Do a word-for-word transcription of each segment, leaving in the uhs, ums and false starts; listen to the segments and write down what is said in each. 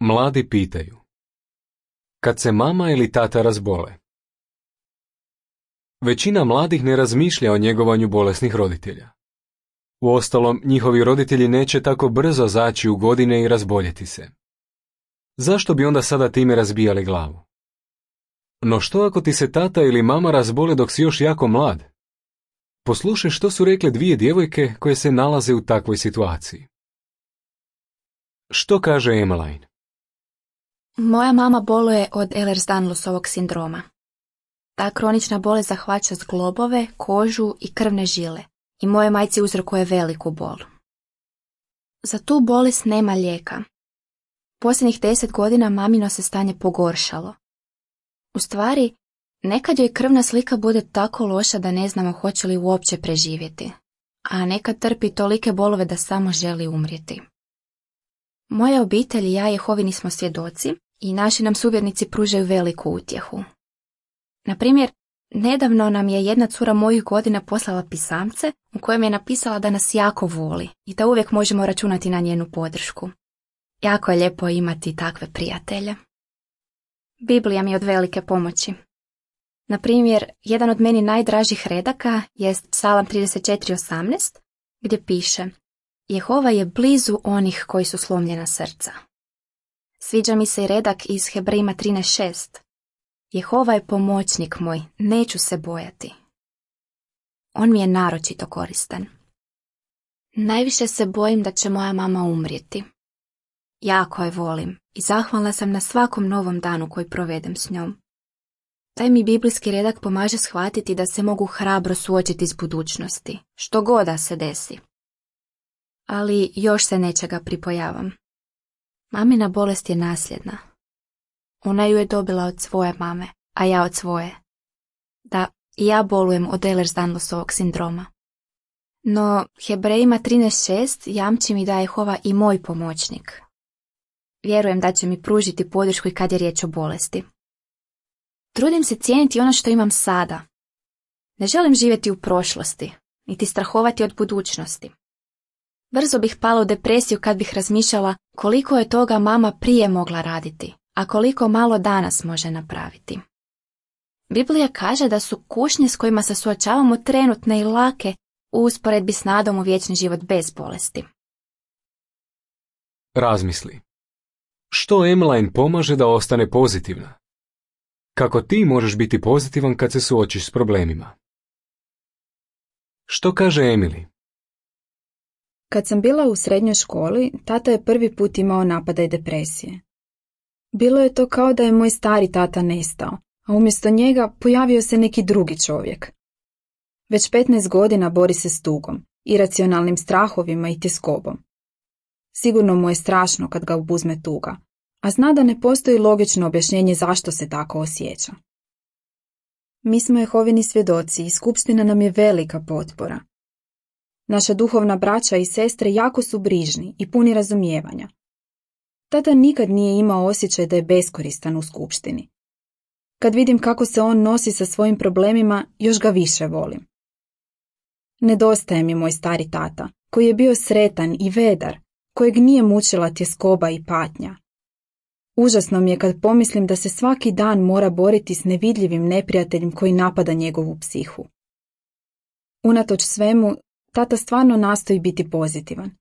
Mladi pitaju. Kad se mama ili tata razbole. Većina mladih ne razmišlja o njegovanju bolesnih roditelja. Uostalom, njihovi roditelji neće tako brzo zaći u godine i razboljeti se. Zašto bi onda sada time razbijali glavu? No što ako ti se tata ili mama razbole dok si još jako mlad? Poslušaj što su rekle dvije djevojke koje se nalaze u takvoj situaciji. Što kaže Emmeline? Moja mama boluje od Ehlers-Danlosovog sindroma. Ta kronična bolest zahvaća zglobove, kožu i krvne žile i moje majci uzrokuje veliku bol. Za tu bolest nema lijeka. Posljednjih deset godina mamino se stanje pogoršalo. U stvari, nekad joj krvna slika bude tako loša da ne znamo hoće li uopće preživjeti, a nekad trpi tolike bolove da samo želi umrijeti. Moja obitelj i ja Jehovini smo svjedoci i naši nam suvjernici pružaju veliku utjehu. Na primjer, nedavno nam je jedna cura mojih godina poslala pisamce u kojem je napisala da nas jako voli i da uvijek možemo računati na njenu podršku. Jako je lijepo imati takve prijatelje. Biblija mi je od velike pomoći. Na primjer, jedan od meni najdražih redaka jest Psalam trideset četiri osamnaest, gdje piše: Jehova je blizu onih koji su slomljena srca. Sviđa mi se i redak iz Hebrejima trinaest šest. Jehova je pomoćnik moj, neću se bojati. On mi je naročito koristan. Najviše se bojim da će moja mama umrijeti. Jako je volim i zahvalna sam na svakom novom danu koji provedem s njom. Taj mi biblijski redak pomaže shvatiti da se mogu hrabro suočiti s budućnosti, što god da se desi. Ali još se nečega pripojavam. Mamina bolest je nasljedna. Ona ju je dobila od svoje mame, a ja od svoje. Da, i ja bolujem od Ehlers-Danlosovog sindroma. No, Hebrejima trinaest šest jamči mi da je Jehova i moj pomoćnik. Vjerujem da će mi pružiti podršku i kad je riječ o bolesti. Trudim se cijeniti ono što imam sada. Ne želim živjeti u prošlosti, niti strahovati od budućnosti. Brzo bih pala u depresiju kad bih razmišljala koliko je toga mama prije mogla raditi, a koliko malo danas može napraviti. Biblija kaže da su kušnje s kojima se suočavamo trenutne i lake u usporedbi s nadom u vječni život bez bolesti. Razmisli. Što Emmeline pomaže da ostane pozitivna? Kako ti možeš biti pozitivan kad se suočiš s problemima? Što kaže Emily? Kad sam bila u srednjoj školi, tata je prvi put imao napadaj depresije. Bilo je to kao da je moj stari tata nestao, a umjesto njega pojavio se neki drugi čovjek. Već petnaest godina bori se s tugom, iracionalnim strahovima i tjeskobom. Sigurno mu je strašno kad ga obuzme tuga, a zna da ne postoji logično objašnjenje zašto se tako osjeća. Mi smo Jehovini svjedoci i skupština nam je velika potpora. Naša duhovna braća i sestre jako su brižni i puni razumijevanja. Tata nikad nije imao osjećaj da je beskoristan u skupštini. Kad vidim kako se on nosi sa svojim problemima, još ga više volim. Nedostaje mi moj stari tata, koji je bio sretan i vedar, kojeg nije mučila tjeskoba i patnja. Užasno mi je kad pomislim da se svaki dan mora boriti s nevidljivim neprijateljem koji napada njegovu psihu. Unatoč svemu, tata stvarno nastoji biti pozitivan.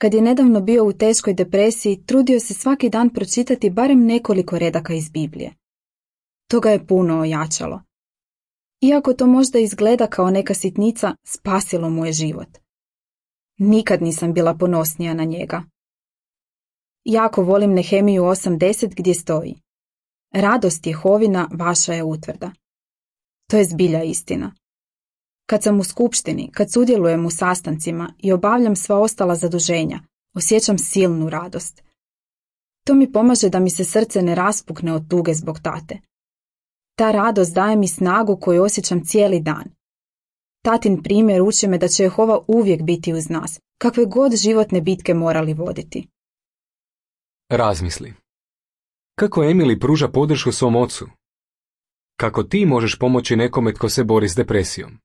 Kad je nedavno bio u teškoj depresiji, trudio se svaki dan pročitati barem nekoliko redaka iz Biblije. To ga je puno ojačalo. Iako to možda izgleda kao neka sitnica, spasilo mu je život. Nikad nisam bila ponosnija na njega. Jako volim Nehemiju osam deset gdje stoji: Radost Jehovina vaša je utvrda. To je zbilja istina. Kad sam u skupštini, kad sudjelujem u sastancima i obavljam sva ostala zaduženja, osjećam silnu radost. To mi pomaže da mi se srce ne raspukne od tuge zbog tate. Ta radost daje mi snagu koju osjećam cijeli dan. Tatin primjer uči me da će Jehova uvijek biti uz nas, kakve god životne bitke morali voditi. Razmisli. Kako Emily pruža podršku svom ocu? Kako ti možeš pomoći nekome tko se bori s depresijom?